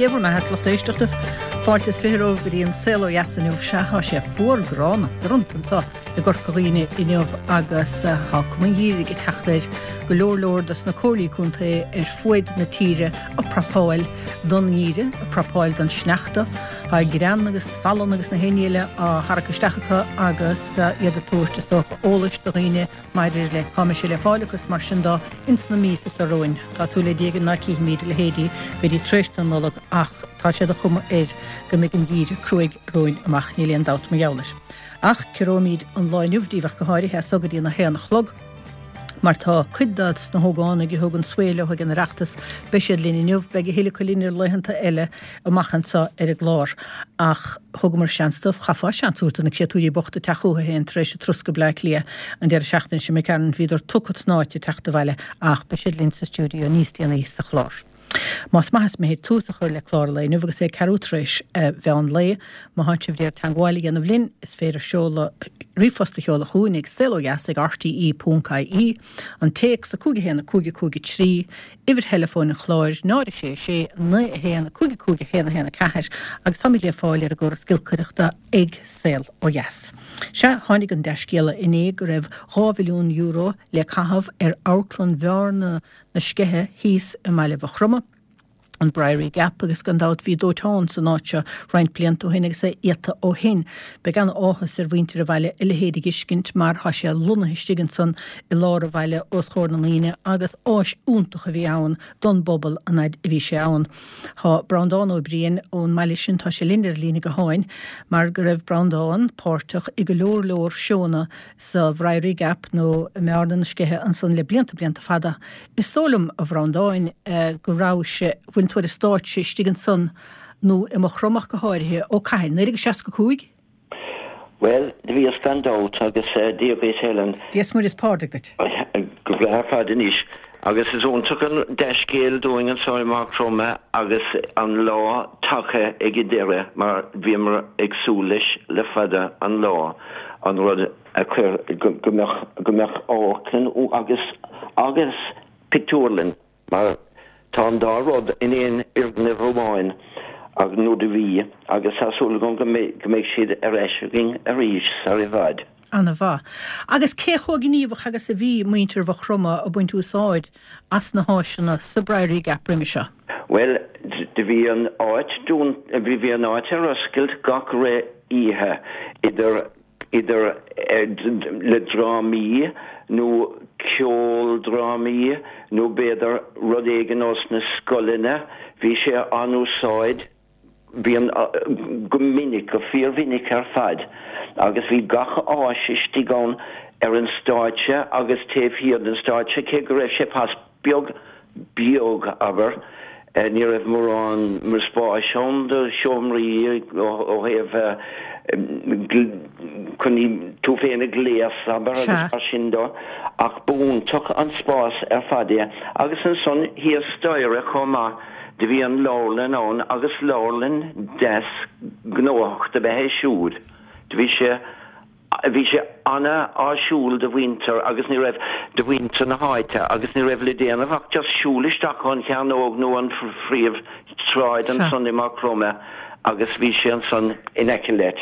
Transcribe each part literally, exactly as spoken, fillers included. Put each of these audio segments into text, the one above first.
Dé bhur mbeatha a lucht éisteachta. Fáilte is fiche romhaibh go dtí an Saol Ó Dheas inniu. Sea, tá sé fuar gránna doranta anseo i gCorca Dhuibhne inniu agus tá cuma an gheimhridh ag teacht air go leor leor dos na comhairlí contae ar fuaid na tíre ag prapáil don ngeimhreadh, ag prapáil don sneachta. Tá grean agus salann agus na héinne eile á tharrac isteach acu agus iad ag tabhairt is dócha eolais do dhaoine maidir le cá mbeidh sé le fáil agus mar sin de ins na míosa seo romhainn. Tá súil le Dia ná cífimid a leithéidí go dtí tar éis na Nollag ach tá sé de chuma air go mbeidh an geimhreadh cruaidh romhainn amach, níl aon dabht mar gheall air. Ach ciorróimid an lá inniu daoibh ach go háirithe as so go dtí an a haon a chlog. Mar tá cuid dos na hógánaigh a thug an svae leo ag an Oireachtas, beidh siad linn inniu, beidh a thuilleadh acu linn ar laethanta eile amach anseo ar an gclár. Ach thugamar seans dóibh, chaithfeá seans a thabhairt do na créatúirí bochta teacht chucu féin tar éis an turas go Bleá Cliath an deireadh seachtaine sin imigh tharainn, bhíodar tugtha tnáite teacht abhaile ach beidh siad linn sa stiúideo níos déanaí sa chlár. Más maith is mithid tús a chur le clár an lae inniu agus é ceathrú tar éis mheán lae. Má thánn sibh ag iarraidh teagmháil a dhéanamh linn, is féidir seoladh ríomhphost a sheoladh chugainn ag saolodheas ag rte ponc ie, an téacs a cúig a haon a cúig a cúig a trí, uimhir theileafóin an chláir, náid a sé a sé, naoi a haon, a cúig a cúig a haon a haon a ceathair agus táimid le fáil ar an gcóras giolcaireachta ag Saol Ó Dheas. Sea, tháinig an dea-scéala inné go raibh dhá mhilliún euro le caitheamh ar amharclann Bhearna na Sceiche thíos i mbaile Mhaigh Chromtha, an Briery Gap, agus gan dabht bhí dóiteán san áit seo roinnt blianta ó shin agus é iata ó shin. Beidh an-áthas ar mhuintir an bhaile a leithéid a dh'fheiscint mar tá sé lonnaithe istigh ansan i lár an bhaile os chomhair na ndaoine agus áis iontach a bhí ann don bpobal an fhaid a bhí sé ann. Tá Breandán Ó Briain ón mbaile sin, tá sé linn ar an líne gutháin mar go raibh Breandán páirteach i go leor leor seónna sa Bhriery Gap nó i mBearna na Sceiche ansan le blianta blianta fada. Is dóigh liom, a Bhreandáin, go rabhais, bhain tú ar an stáitse istigh ansan nó i Maigh Chromtha ach go háirithe, ó cathain? naoi déag seasca cúig? Bhuel, do bhíos gan dabht agus Dia dhuit Helen. Dia is Muire is Pádraig duit. Go breá ar fad anois. Agus is iontach an dea-scéal dúinn anseo i Maigh Chromtha agus an lá tagtha ag an deireadh mar bhíomar ag súil leis le fada an lá, an rud a chuir go mbeadh go mbeadh amharclann agus agus pictiúrlann mar tá an dá rud in aon fhoirgneamh amháin nó do bhí agus tá súil agam go mbeidh go mbeidh siad ar ais againn arís sar i bhfad. Ana-mhaith. Agus cé chomh gníomhach agus a bhí muintir Mhaigh Chromtha ag baint úsáid as na háiseanna sa Briery Gap roimhe seo? Bhuel, do bhí an áit dún, bhí an áit ar oscailt gach re oíche, idir, idir le drámaí nó ceoldrámaí nó b'fhéidir rud éigin ós na scoileanna, bhí sé á n-úsáid. Bhí an, go minic, go fíormhinic ar fad, agus bhí gach áis istigh ann ar an stáitse agus taobh thiar den stáitse, cé go raibh sé pas beag, beag, abair, ní raibh mórán spáis ann do sheomraí ó thaobh chun tú féin a ghléasadh, abair, agus mar sin de, ach b'iontach an spás ar fad é. Agus ansan thíos staighre chomh maith. Do bhí an leabharlann ann agus leabharlann deas gnóthach do b'ea é siúd. Do bhí sé, bhí sé ana-áisiúil do mhuintir agus ní raibh, do mhuintir na háite agus ní raibh le déanamh ach just siúl isteach ón chearnóg nó an phríomh sráid ansan i Maigh Chromtha agus bhí sé ansan in aice leat.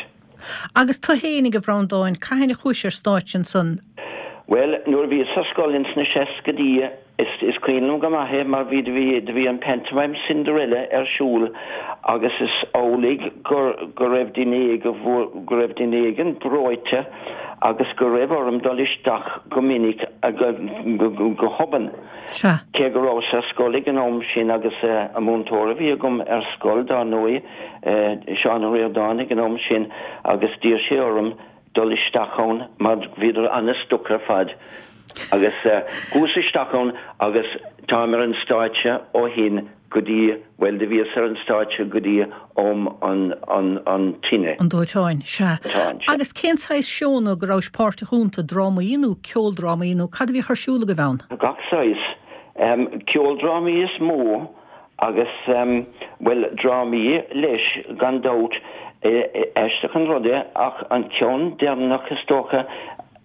Agus tu fhéinig, a Bhreandáin, cathain a chuais ar stáitse ansan? Bhuel, nuair a bhíos ar scoil ins na seascaidí, is, is cuimhin liom go maith é mar bhí, bhí, do bhí an pantomime Cinderella ar siúl agus is amhlaidh gur, go raibh duine éig, go raibh duine éigin breoite agus go raibh orm dul isteach go minic, go, go, go hobann. Sea. Cé go rabhas ar scoil ag an am sin agus an múinteoir a bhí agam ar scoil, dár ndóigh, Seán Ó Ríordáin ag an am sin agus d'iarr sé orm dul isteach ann mar bhíodar an-stuck ar fad agus chuas isteach ann agus táim ar an stáitse ó shin go dtí, bhuel do bhíos ar an stáitse go dtí am an, an, an tine. An dóiteáin, sea. Dóiteáin, sea. Agus cén saghas seónna go rabhais páirteach iontu, drámaí nó ceoldrámaí nó cad a bhíodh ar siúl agaibh ann? Gach saghas. Ceoldrámaí is mó Agus, bhuel, drámaí leis, gan dabht. Aisteach an rud é, ach an ceann deireanach, is dócha,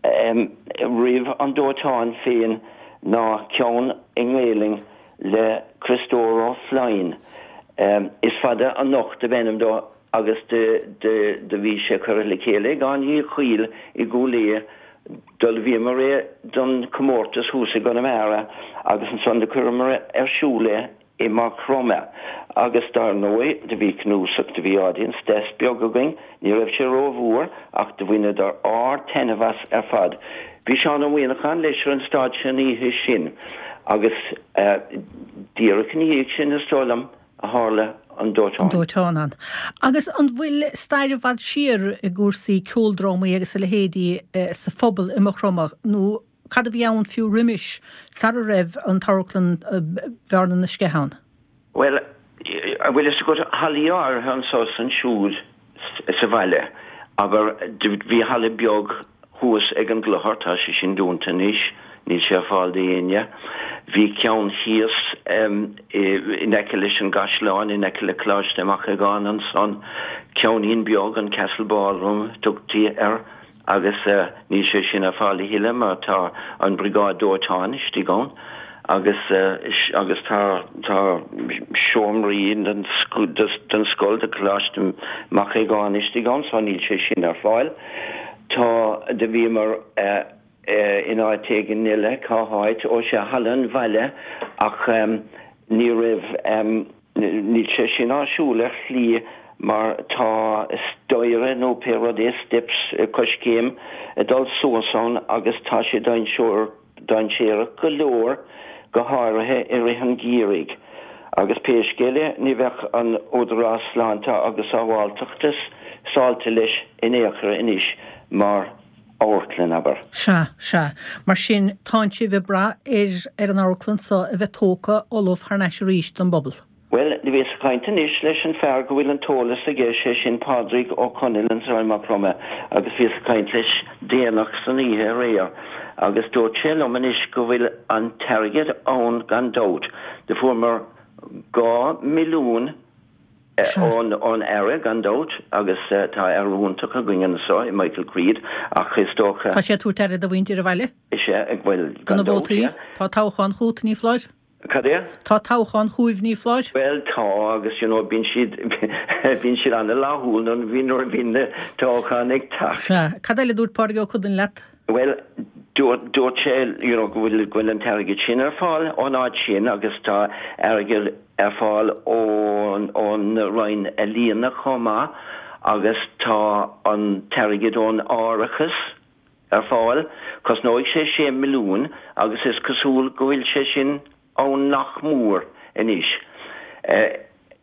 roimh an dóiteán féin ná ceann i nGaelainn le Criostóir Ó Floinn, Is Fada Anocht ab ainm dó agus do bhí sé curtha le chéile ag Áine Uí Chuill i gCúil Aodha. D'ullmhaíomar é don chomórtas thuas i gConamara agus ansan do chuireamar ar siúl é i Maigh Chromtha. Agus dar ndóigh do bhí cnuasach, do bhí audience deas beag againn, ní raibh sé rómhór ach do bhaineadar ard-taitneamh as ar fad. Bhí Seán Ó Muíneacháin leis ar an stáitse an oíche sin agus díreach ina dhiaidh sin is dóigh liom a tharla an dóiteán. An dóiteán ann. Agus an bhfuil stair i bhfad siar i gcúrsaí ceoldrámaí agus a leithéidí sa phobal i Maigh Chromtha nó cad a bhí ann fiú roimis, sara raibh an t-amharclann Bhearna na Sceithe ann? Bhuel, an bhfuil fhios agat, hallaí áirithe anso is ansiúd sa bhaile, abair, bhí halla beag thuas ag an gclochar, tá sé sin dúnta anois, níl sé ar fáil d'éinne. Bhí ceann thíos in aice leis an gcaisleán, in aice le Coláiste Mac Aogáin ansan, ceainnín beag, an Castle Ballroom a tugtaí air, agus níl sé sin ar fáil a thuilleadh mar tá an Briogáid Dóiteáin istigh ann agus agus tá tá seomraí den den scoil de Choláiste Mac Aogáin istigh ann so níl sé sin ar fáil. Tá do bhíomar in áit éigin eile, cá háit, ó sea, Halla an Bhaile ach ní raibh níl sé sin áisiúil ar shlí mar tá staighre nó pé rud é, steps, coiscéim ag dul suas ann agus tá sé dainséarach go leor, go háirithe i rith an gheimhridh. Agus pé scéal é, ní bheadh an Údarás Sláinte agus Sábháilteachta sásta leis in aon chor anois mar amharclann, abair. Sea, sea. Mar sin, tánn sibh ag brath ar ar an amharclann so a bheith tógtha ullamh thar n-ais arís don bpobal. Bhuel, do bhíos ag caint anois leis an fear go bhfuil an t-eolas aige, sé sin Pádraig Ó Conaill anso i Maigh Chromtha, agus bhíos ag caint leis déanach san oíche aréir, agus dúirt sé liom anois go bhfuil an t-airgead ann gan dabht. Do fuaireamar dhá milliún ón ón Aire gan dabht, agus tá Aire iontach againn anso i Michael Creed, ach is dócha. Tá sé ag tabhairt aire do mhuintir an bhaile? Is ea, bhuel, gan dabht, yeah. Tá toghchán chugat, ní foláir? Cad é? Tá toghchán chugaibh, ní foláir? Bhuel, tá, agus you know, bíonn siad, bíonn siad an-fhlaithiúil nuair a bhíonn, nuair a bhíonn na toghcháin ag teacht. Sea. Cad eile a dúirt Pádraig Ó Conaill leat? Bhuel, dúirt, dúirt sé, you know, go bhfuil, go bhfuil an t-airgead sin ar fáil ón áit sin agus tá airgead ar fáil ón, ón Roinn Ealaíona chomh maith agus tá an t-airgead ón árachas ar fáil. Cosnóidh sé sé milliún agus is cosúil go bhfuil sé sin ann nach mór anois.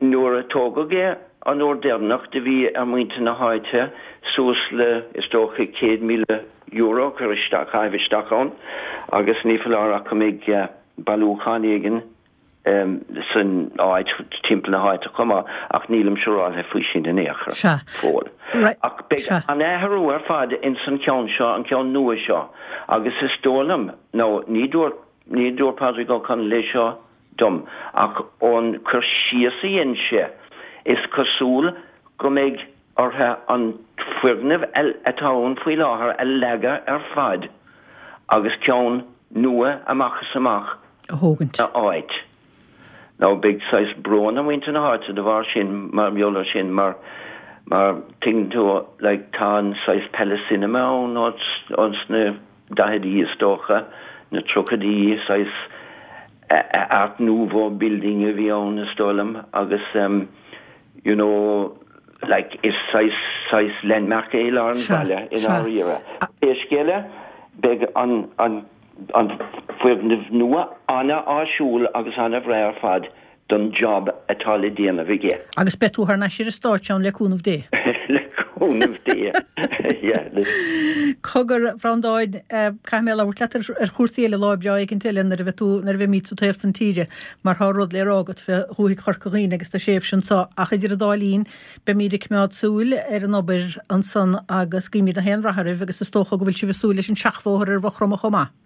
Nuair a tógadh é an uair deireanach do bhí ar mhuintir na háite suas le, is dócha, céad míle euro a chur isteach, a chaitheamh isteach ann agus ní foláir ach go mbeidh bailiúchán éigin san áit, timpeall na háite chomh maith, ach nílim siúráilte faoi sin in aon chor, Sea. fóill. Right. Ach beidh Sea. an athrú ar fad ins an cheann seo, an ceann nua seo, agus is dóigh liom, nó ní dúirt, ní dúirt Pádraig Ó Conaill é seo dom, ach ón cur síos a dhein sé, is cosúil go mbeidh orthu an foirgneamh atá ann faoi láthair a leagadh ar fad agus ceann nua amach is amach a thógaint. ina áit. Now beidh saghas brón ar mhuintir na háite de bharr sin, mar gheall ar sin, mar, mar tuigeann tú, like, tá an saghas Palace Cinema ann ós na daicheadaí is dócha, na tríochaidí, saghas Art Nouveau building a bhí ann is dóigh liom agus em, you know, like, is saghas, saghas landmark é i lár an bhaile i ndáiríre. Pé scéal é, beidh an, an, an foirgneamh nua an-áisiúil agus an-bhreá ar fad don job atá le déanamh aige. Agus beidh tú thar n-ais ar an stáitse ann le cúnamh Dé. Le cúnamh Dé, yeah. Cogar, a Bhreandáin, caithfidh mé labhairt leat ar chúrsaí eile lá breá éicint eile nuair a bheidh tú, nuair a bheimid sa taobh san tíre, mar tá rud le rá agat fé dhúthaigh Chorca Dhuibhne agus do thréimhse anso. Ach idir an dá linn, beimid ag coimeád súil ar an obair ansan agus guímid gach aon rath oraibh agus is dócha go bhfuil sibh ag súil leis an seachbhóthar ar Mhaigh Chromtha chomh maith.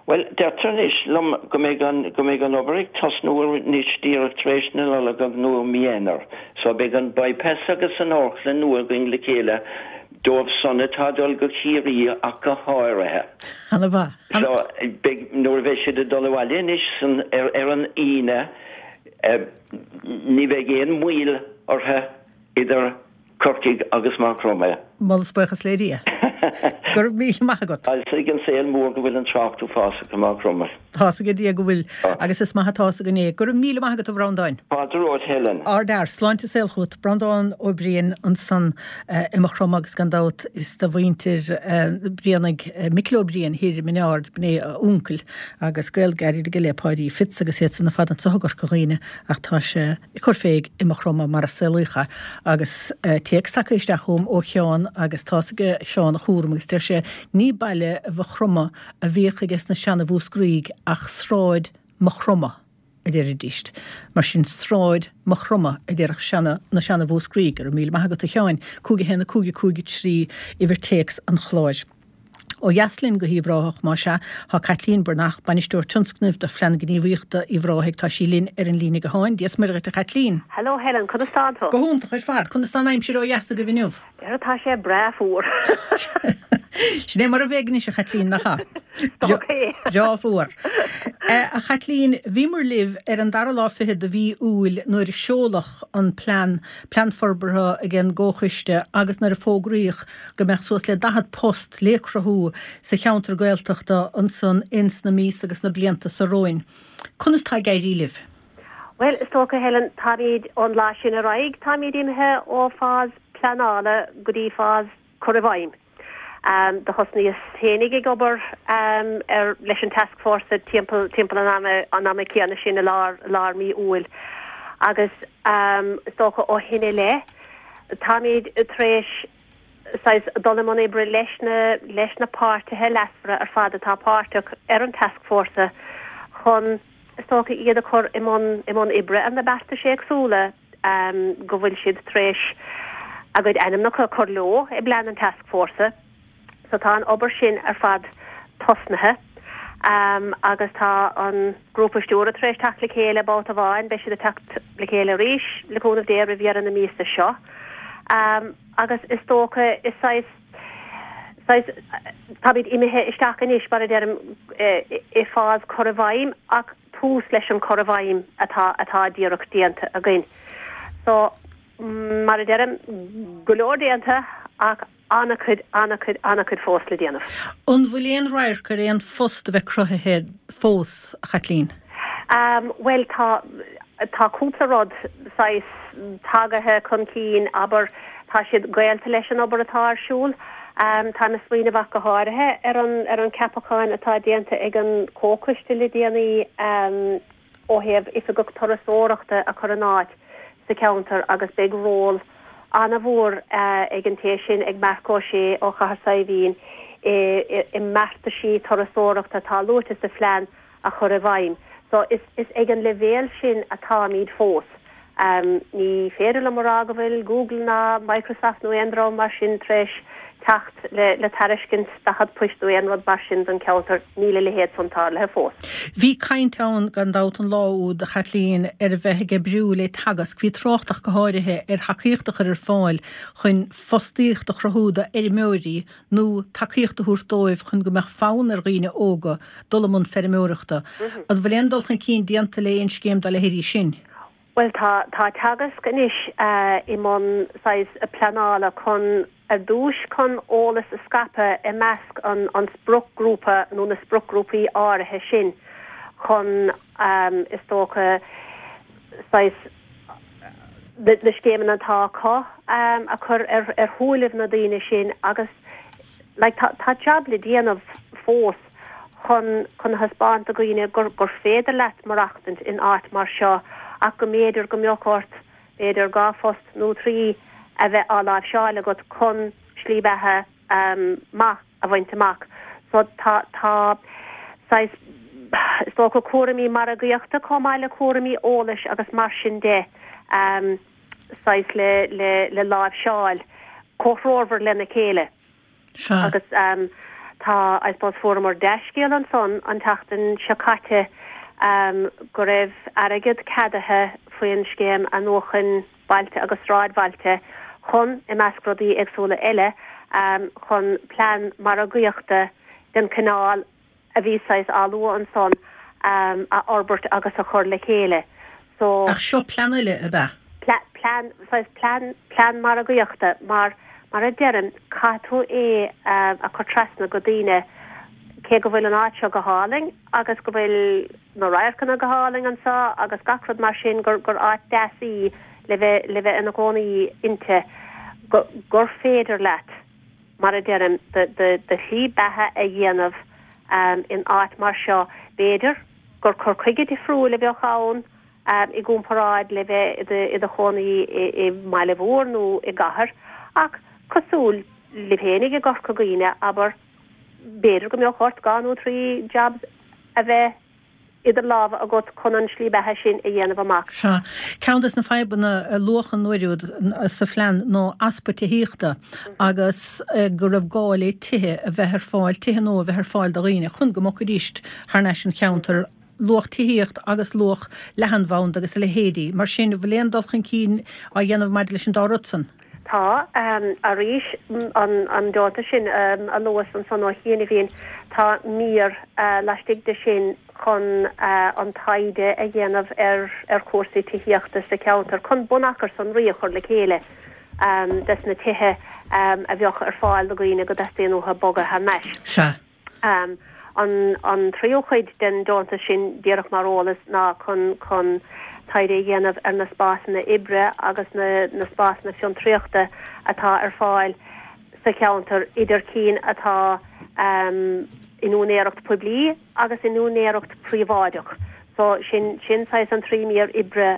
Bhuel, deirtear anois liom go mbeidh an, go mbeidh an obair ag tosnú anois díreach tar éis na Nollag nó i mí Eanáir. So beidh an bypass agus an amharclann nua againn le chéile, dóibh san atá ag dul go Ciarraí ach go háirithe. Ana mhaith. So beidh, nuair a bheidh siad ag dul abhaile anois san, ar, ar an Aoine, Ní bheidh aon mhoill orthu idir Corcaigh agus Maigh Chromtha. Moladh is buíochas le Dia. Go raibh míle maith agat. Tá fhios ag an saol mór go bhfuil an trácht uafásach i Maigh Chromtha. Tá fhios ag Dia go bhfuil, agus is maith atá fhios againn é. Go raibh míle maith agat a Bhreandáin. Fáilte romhat Helen. Ardfhear, sláinte is saol chugat. Breandán Ó Briain ansan i Maigh Chromtha agus gan dabht is de mhuintir Brianaigh, Micil Ó Briain thiar i mBinn Ard, b'in é a uncail agus gaol gairid aige le Páidí Fitz agus iad san ar fad anso i gCorca Dhuibhne ach tá sé ag cur fé i Maigh Chromtha mar a saolaíodh é agus téacs tagtha isteach chugam ó Sheán agus tá fhios ag Seán a chúram agus deir sé ní baile Mhaigh Chromtha a bhíodh aige sna seana-Mhúscraígh ach sráid Maigh Chromtha a deiridíst. Mar sin sráid Maigh Chromtha a déarfadh seana na seana-Mhúscraígh. Go raibh míle maith agat a Sheáin. Cúig a haon a cúig a cúig a trí uimhir téacs an chláir. Ó dheas linn go hUíbh Ráthach, más ea, tá Caitlín Breathnach, Bainisteoir Tionscnaimh do Phlean Gníomhaíochta Uíbh Ráthaigh, tá sí linn ar an líne gutháin. Dia is Muire dhuit a Chaitlín. Hello Helen, conas tánn tú? Go hiontach ar fad. Conas tá an aimsir ó dheas agaibh inniu? Ara tá sé breá fuar. Sin é mar a bheidh anois a Chaitlín, nach ea? Ok. Breá fuar. A Chaitlín, bhíomar libh ar an dara lá fichead de mhí Iúil nuair a seoladh an plean, plean forbartha ag an gComhchoiste agus nuair a fógraíodh go mbeadh suas le daichead post le cruthú sa cheantar Gaeltachta ansan ins na míosa agus na blianta seo romhainn. Conas tá ag éirí libh? Bhuel, is dócha, Helen, táimid ón lá sin ar aghaidh, táimid imithe ó phase pleanála go dtí phase cur i bhfeidhm. Do thosnaíos féinig ag obair ar leis an tascfhórsa timpeall timpeall an ama an ama céanna sin i lár lár mí Iúil agus is dócha ó shin i leith táimid tar éis saghas dul i mbun oibre leis na leis na páirtithe leasmhara ar fad atá páirteach ar an tascfhórsa chun is dócha iad a chur i mbun i mbun oibre ar na beartais éagsúla go bhfuil siad tar éis a gcuid ainmneacha a chur leo i bplean an tascfhórsa. So tá an obair sin ar fad tosnaithe agus tá an grúpa stiúrtha tar éis teacht le chéile babhta amháin, beidh siad ag teacht le chéile arís le cúnamh Dé roimh dheireadh na míosa seo. Agus is dócha is saghas, saghas, táimid imithe isteach anois mar a deirim i phase cur i bhfeidhm ach tús leis an cur i bhfeidhm atá, atá díreach déanta againn. So mar a deirim, go leor déanta ach an-chuid, an-chuid, an-chuid fós le déanamh. An bhfuil aon radharc ar aon phost a bheith cruthaithe fós, a Chaitlín? Bhuel, tá, tá cúpla rud saghas tagaithe chun cinn, abair, tá siad gaolta leis an obair atá ar siúl. Táim ag smaoineamh ach go háirithe ar an, ar an ceapachán atá déanta ag an Chomhchoiste le déanaí ó thaobh Oifigeach Turasóireachta a chur in áit sa cheantar agus beidh ról an-mhór ag an té sin, ag Marc Ó Sé ó Chathair Saidhbhín, i mbeartaisí turasóireachta atá luaite sa phlean a chur i bhfeidhm. So is is ag an leibhéal sin atáimid fós. Ní féidir liom a rá go bhfuil Google ná Microsoft nó aon dream mar sin tar éis teacht le le tairiscint daichead poist nó aon rud mar sin don cheantar, níl a leithéid san tarlaithe fós. Bhí caint ann gan dabht an lá úd, a Chaitlín, ar a bheith ag oibriú le Teagasc. Bhí trácht ach go háirithe ar thacaíocht a chur ar fáil chun fostaíocht a chruthú d'fheirmeoirí nó tacaíocht a thabhairt dóibh chun go mbeadh fonn ar dhaoine óga dul i mbun feirmeoireachta. An bhfuil aon dul chun cinn déanta le aon scéim dá leithéidí sin? Bhuel tá, tá Teagasc anois i mbun saghas pleanála chun, ar dtús chun eolas a scaipeadh i measc an an spriocghrúpa nó na spriocghrúpaí áirithe sin chun is dócha saghas na scéimeanna atá acu a chur ar ar shúilibh na daoine sin agus like tá tá jab le déanamh fós chun chun a thaispeáint do dhaoine gur gur féidir leat maireachtaint in áit mar seo ach go mb'fhéidir go mbeadh ort b'fhéidir dhá phost nó trí a bheith á láimhseáil agat chun slí beatha maith a bhaint amach. So tá tá saghas is dócha cúraimí margaíochta chomh maith le cúraimí eolais agus mar sin de saghas le le le láimhseáil comhthreomhar lena chéile. Sea. Agus tá, I suppose, fuaireamar dea-scéal ansan an tseachtain seo caite go raibh airgead ceadaithe faoin scéim athnuachan bailte agus sráidbhailte chun, i measc rudaí éagsúla eile, chun plean margaíochta den chineál a bhí saghas á lua ansan a fhorbairt agus a chur le chéile. So, Ach seo plean eile, ab ea? Plean, saghas plean, plean margaíochta, mar, mar a deirim, caithfidh tú é a chur trasna go daoine, cé go bhfuil an áit seo go hálainn agus go bhfuil na radharcanna go hálainn anseo agus gach rud mar sin, gur, gur áit deas í le bheith, le bheith ina gcónaí inti, go, gur féidir leat, mar a deirim, do, do, do shlí beatha a dhéanamh in áit mar seo. B'fhéidir gur cur chuige difriúil a bheadh ann i gcomparáid le bheith i do chónaí i mbaile mhór nó i gcathair, ach cosúil libh féinig i gCorca Dhuibhne, abair, b'fhéidir go mbeadh ort dhá nó trí jobs a bheith idir lámha agat chun an slí beatha sin a dhéanamh amach. Sea. Ceann des na fadhbanna a luadh an uair úd sa phlean ná easpa tithíochta agus go raibh gá le tithe a bheith ar fáil, tithe nua a bheith ar fáil do dhaoine chun go mbogfaidís thar n-ais an cheantar, luadh tithíocht agus luadh leathanbhanda agus a leithéidí. Mar sin, an bhfuil aon dul chun cinn á dhéanamh maidir leis an dá rud san? Tá. Arís, an deontas sin a luas ansan ó chianaibhín, tá mír laistigh de sin chun an taighde a dhéanamh ar chúrsaí tithíochta sa cheantar, chun bunachar sonraí a chur le chéile des na tithe a bheadh ar fáil do dhaoine go dteastaíonn uathu bogadh thar n-ais. Sea. An tríú cuid den deontas sin, díreach mar eolas, ná chun chun taighde a dhéanamh ar na spásanna oibre agus na na spásanna fiontraíochta atá ar fáil sa cheantar, idir cinn atá in úinéireacht poiblí agus in úinéireacht príobháideach. So sin sin saghas an trí mír oibre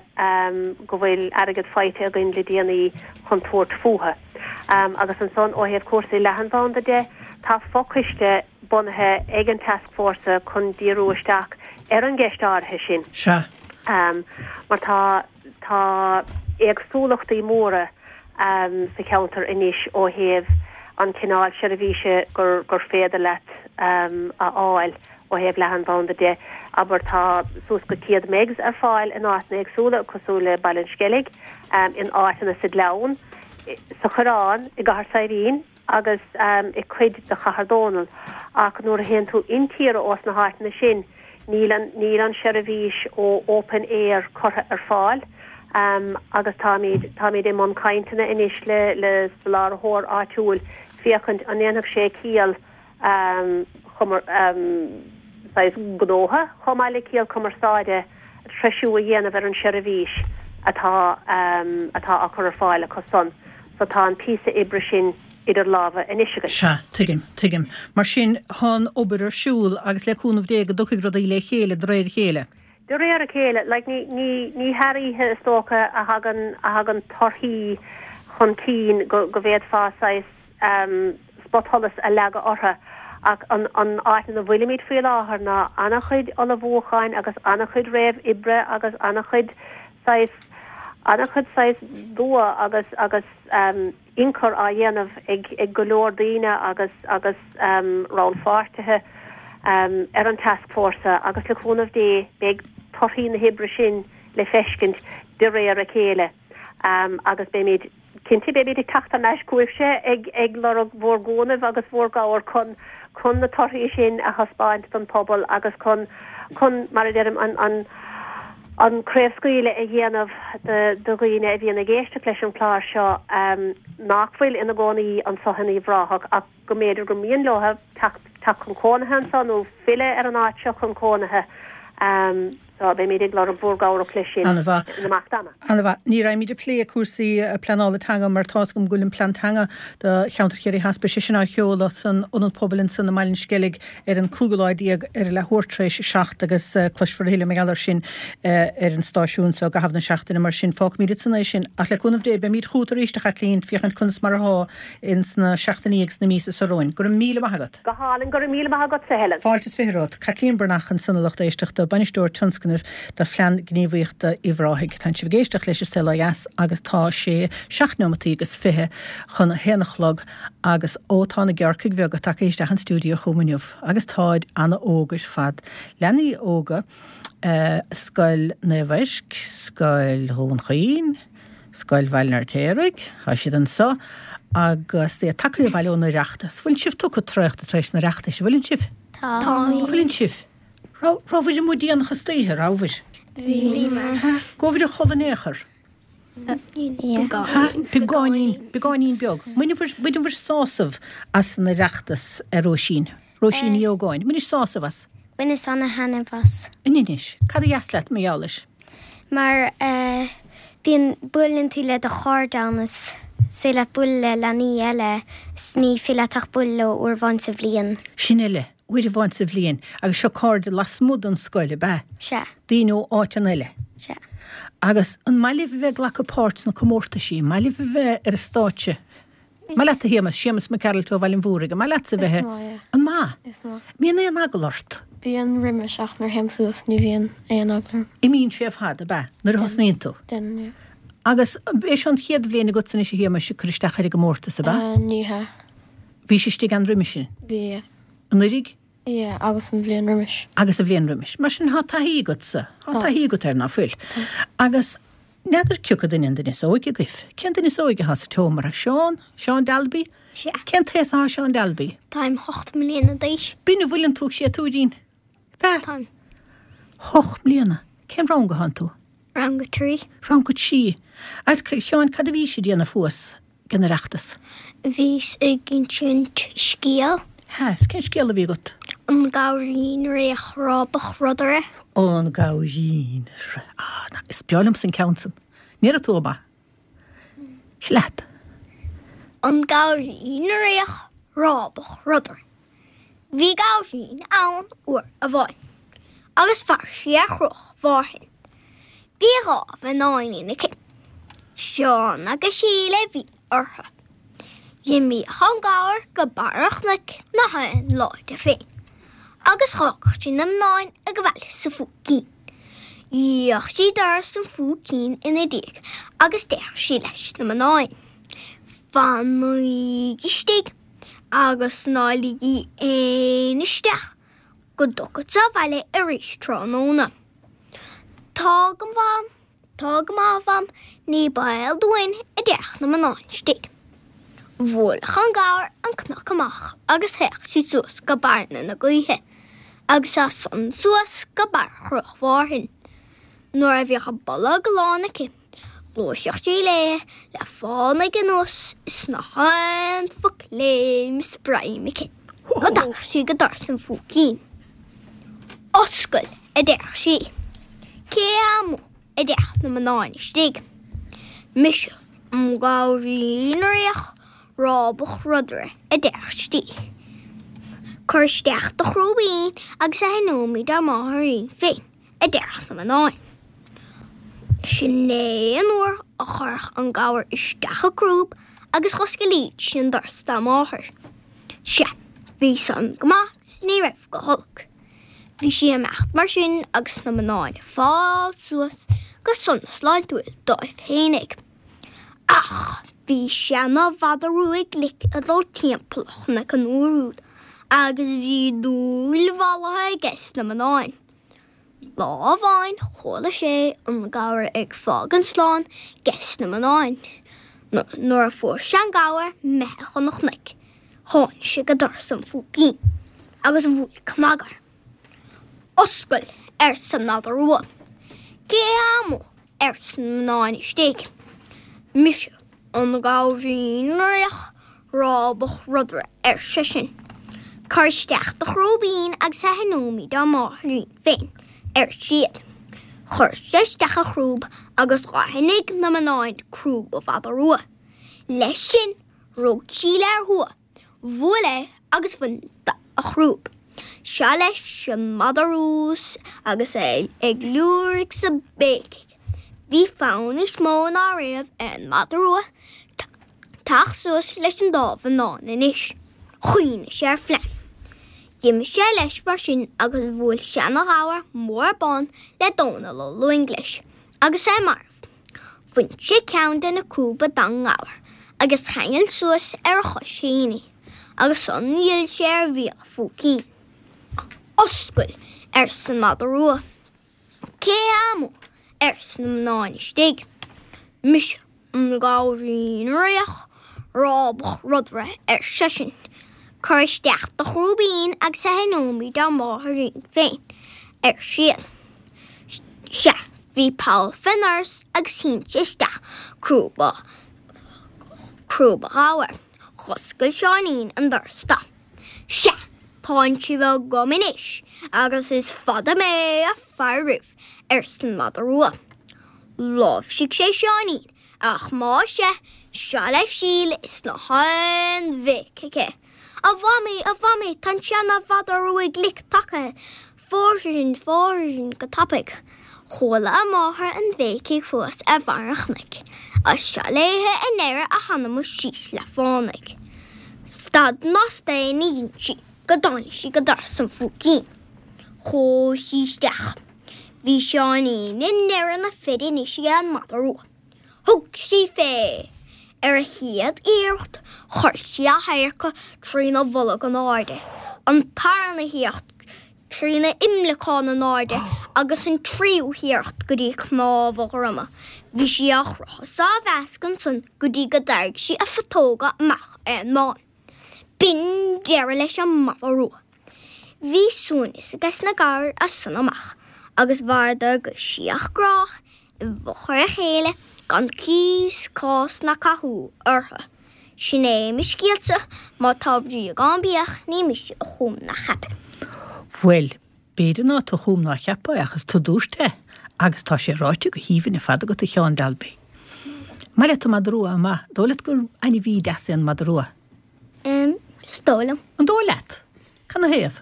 go bhfuil airgead faighte againn le déanaí chun tabhairt fúthu. Agus ansan ó thaobh cúrsaí leathanbhanda de, tá fochoiste bunaithe ag an tascfhórsa chun díriú isteach ar an gceist áirithe sin. Sea. Mar tá tá éagsúlachtaí móra sa cheantar anois ó thaobh an cineál seirbhíse gur gur féidir leat a fháil ó thaobh leathanbhanda de. Abair tá suas go céad megs ar fáil in áiteanna éagsúla cosúil le Baile an Sceilg, in áiteanna sa Ghleann, sa Choireán, i gCathair Saidhbhín agus i cuid de Chathair Dónall ach nuair a théann tú intíre ós na háiteanna sin níl an níl an seirbhís ó Open Eir curtha ar fáil agus táimid táimid i mbun cainteanna anois le le soláthróir áitiúil féachaint an ndéanfadh sé ciall saghas gnótha chomh maith le ciall cumarsáide treisiú a dhéanamh ar an seirbhís atá atá á cur ar fáil acu san. So tá an píosa oibre sin idir lámha anois againn. Sea, tuigim, tuigim. Mar sin, tá an obair ar siúl agus le cúnamh Dé go dtiocfaidh rudaí le chéile de réir a chéile. De réir a chéile, like ní ní ní thar oíche is dócha a thagann a thagann torthaí chun cinn go go bhféadfá saghas spotsholas a leagadh orthu ach an an áit ina bhfuilimid faoi láthair ná an-chuid ullmhúcháin agus an-chuid réamh-oibre agus an-chuid saghas an-chuid saghas dua agus agus ionchur á dhéanamh ag ag go leor daoine agus agus rannpháirtithe ar an tascfhórsa agus le cúnamh Dé beidh torthaí na hoibre sin le feiscint de réir a chéile agus beimid Cinnte, beimid ag teacht thar n-ais chugaibhse ag ag lorg bhur gcúnaimh agus bhur gcabhair chun chun na torthaí sin a thaispeáint don phobal agus chun chun, mar a deirim, an an an craobhscaoileadh a dhéanamh do do dhaoine a bhíonn ag éisteacht leis an chlár seo nach bhfuil ina gcónaí anso in Uíbh Ráthach ach go mb'fhéidir gur mian leo teacht teacht chun cónaithe anso nó filleadh ar an áit seo chun cónaithe. So, beimid ag lorg bhur gcabhrach leis sin An-mhaith. in imeacht ama. An-mhaith. Ní raghaimid ag plé cúrsaí pleanála teanga mar tá's agam go bhfuil an plean teanga do cheantar Chiarraí Theas, beidh sé sin á sheoladh san Ionad Pobail ansan i mBaile an Sceilg ar an cúigiú lá déag ar a leathuair tar éis a seacht agus cloisfear a thuilleadh mar gheall air sin ar an stáisiún so i gcaitheamh na seachtaine. Mar sin, fágfaimid ansan é sin. Ach le cúnamh Dé, beimid chugat arís, a Chaitlín, féachaint conas mar athá ins na seachtainí agus na míosa so romhainn. Go raibh míle maith agat. Go hálainn, go raibh míle maith agatsa, Helen. Fáilte is fiche romhat. Caitlín Breathnach ansan a lucht éisteachta, Bainisteoir Tionscnaimh do Phlean Gníomhaíochta Uíbh Ráthaigh. Tánn sibh ag éisteacht leis an Saol Ó Dheas agus tá sé seacht neomataí agus fiche chun a haon a chlog agus ó tá na gearrcaigh bheaga tagtha isteach an stiúideo chugam inniu agus táid ana-óg ar fad. Leanaí óga, Scoil Naomh Eirc, Scoil Dhún Chaoin, Scoil Bhaile an Fheirtéaraigh, tá siad anso agus iad tagtha abhaile ón Oireachtas. Bhfuileann sibh tugtha traochta tar éis an Oireachtais, an bhfuileann sibh? Tá. Bhfuileann sibh? Rabhaibh amuigh déanach istoíche, rabhaibh? Bhíomar. Gabhair a chodladh in aon chor? Beagáinín, beagáinín beag. Bhaineabhair sásamh as an Oireachtas, a Róisín. Róisín Ní Ógáin. Bhainis sásamh as? Bhaineas ana-thaitneamh as. Inis, cad a dheas leat mar gheall air? Mar bíonn, buaileann tú le do chairde ann is féidir leat bualadh le leanaí eile is ní féidir leat ach bualadh leo uair amháin sa bhliain. Sin uile, uair amháin sa bhliain agus seo cairde lasmuigh den scoil, ab ea? Sea. Daoine ó áiteanna eile? Sea. Agus an maith libh a bheith ag glacadh páirt sna comórtaisí? An maith libh a bheith ar an stáitse? An maith leat a Shéamus, Séamus Mac Gearailt ó Bhaile an Mhúraigh, an maith leatsa a bheith? Is maith, yeah. An maith? Is maith. Mbíonn aon eagla ort? Bíonn roimis ach nuair a théim suas ní bhíonn aon eagla orm. Imíonn sé ar fad, ab ea? Nuair a thosnaíonn tú? Déanann, yeah. Agus b'é seo an chéad bhliain agatsa anois a Shéamuis ag cur isteach ar an gcomórtas, ab ea? Ní hea. Bhís istigh ann roimis sin? Bhí, yeah. Anuraidh? Yeah, agus an bhliain roimis. Agus an bhliain roimis. Mar sin, tá taithí agatsa. Tá taithí agat air, ná fuil? Tá. Agus n'fheadar cioca duine an duine is óige agaibh. Cén duine is óige atá sa tseomra? Seán? Seán Dalby? Sea. Cén t-aos atá Seán Dalby? Táim hocht mbliana d'aois. B'in a bhfuileann tú ag séatúirín. B'ea? Táim. Hocht mbliana. Cén rang atánn tú? Rang a trí. Rang a trí. Agus, a Sheáin, cad a bhís ag déanamh thuas ag an Oireachtas? Bhíos ag insint scéal. Hea, is cén scéal a bhí agat? An Gabhairín Réach Rábach Rudaire. An Gabhairín Réach. Ah, is breá liomsa an ceann san. An ndéarfaidh tú é? Seo leat. An Gabhairín Réach Rábach Rudaire. Bhí gabhairín ann uair amháin agus mhair sí ar Chruach Mhárthain. Bhí dhá mhionáinín aici. Seán agus Síle a bhí orthu. D'imíodh an gabhar go barr an chnoic na haon lá de féin agus dh'fhágadh sí na mionáin ag baile sa phúicín. Dhíoladh sí doras an phúicín ina diaidh agus déarfadh sí leis na mionáin, Fanaígí istigh agus ná ligí éinne isteach go dtiocfadsa abhaile arís tráthnóna. Tá go maith, tá go maith, a Mham, ní baol dúinn, a déarfadh na mionáin istigh. Bhuaileadh an gabhar an cnoc amach agus théadh sí suas go Bearna na Gaoithe agus as san suas go barr Chruach Mhárthain. Nuair a bhíodh a bolg lán aici, ghluaiseadh sí léi le fánaidh anuas is na haon foc léim is greim aici go dtagadh sí go doras an phúicín. Oscail! a déarfadh sí. Cé hé amuigh? a déarfadh na mionáin istigh. Mise, an gabhairín réach rábach rudaire, a déarfadh sí. Cuir isteach do chrúibín agus aithneoimid ár máithrín féin, a déarfadh na mionáin. Sin é an uair a chuirfeadh an gabhar isteach a crúb agus dh'osclaídís an doras dá máthair. Sea, bhí san go maith 's ní raibh go holc. Bhí sí ag imeacht mar sin agus na mionáin ag fáil suas go sona sláintiúil dóibh fhéinig. Ach bhí seana-mhadadh rua glic ag dul timpeall an chnoic an uair úd agus bhí dúil mhallaithe aige sna mionáin. Lá amháin chuala sé an gabhar ag fágaint slán ges na mionáin. Nuair a fuair sé an gabhar imithe chun an chnoic, tháinig sé go doras an phúicín agus bhuail cnag air. Oscail! arsa an madadh rua. Cé hé amuigh? arsa na mionáin istigh. Mise, an gabhairín réach rábach rudaire, ar seisean. Cuir isteach do chrúibín agus aithneoimid ár máithrín féin, ar siad. Chuir sé isteach a chrúb agus dh'aithnigh na mionáin crúb an mhadaidh rua. Leis sin, rug Síle ar thua, bhuail é agus bhain de a chrúb. Seo leis an madadh rua agus é ag liúirigh 's ag béicigh. Bhí fonn níos mó ná riamh ar an madadh rua teacht suas leis an dá mhionnán anois. Chuimhnigh sé ar phlean. D'imigh sé leis mar sin agus bhuail seana-ghabhar mór bán le Dónall Ó Lúing leis agus é marbh. Bhain sé ceann de na crúba den ngabhar agus cheangail suas ar a chois féin é agus ansan d'fhill sé ar bhéal an phúicín. Oscail! arsa an madadh rua. Cé hé amuigh? arsa na mionáin istigh. Mise, an gabhairín réach rábach rudaire, ar seisean. Cuir isteach do chrúibín agus aithneoimid ár máithrín féin, ar siad. Sea, bhí poll fén ndoras agus shín sé isteach crúba, crúba ghabhair. Dh'oscail Seáinín an doras dó. Sea, tánn sibh agam anois agus is fada mé ag faire oraibh, arsa an madadh rua. Láimhsigh sé Seáinín, ach más ea, seo leibh Síle is ná haon bhéic aici. A Mhamaí, a Mhamaí, tá an seana-mhadadh rua glic tagtha, fóir sinn, fóir sinn go tapaidh. Chuala a máthair an bhéicigh thuas ar bharr an chnoic, agus seo léithe i ndeireadh a hanama síos le fánaidh. Stad ná staon ní dhein sí go dtáinig sí go doras an phúicín. Chuaigh sí isteach. Bhí Seáinín i ndeireadh na feide anois ag an madadh rua. Thug sí fé. Ar a chéad iarracht chuir sí a hadharca trína bholg in airde, an tarna hiarracht trína imleacán in airde agus an tríú hiarracht go dtí cnámh a dhroma. Bhí sí á chrochadh is á mheascadh ansan go dtí go dtairg sí a phutóga amach ar an mbán. B'in deireadh leis an madadh rua. Bhí suaimhneas aige sna gabhair as san amach agus mhaireadar go síothghrách i bhfochair a chéile gan cíos, cás ná cathú orthu. Sin é mo scéalsa, má tá bríog ann bíodh, ní mise a chum ná cheap é. Bhuel, b'fhéidir ná tú a chum ná a cheap é, ach is tú a dúirt é, agus tá sé ráite go haoibhinn ar fad agat, a Sheáin Dalby. Maith leat an madadh rua, an maith? Dóigh leat gur ainmhí deas é an madadh rua? Em, is dóigh liom. An dóigh leat? Cad 'na thaobh?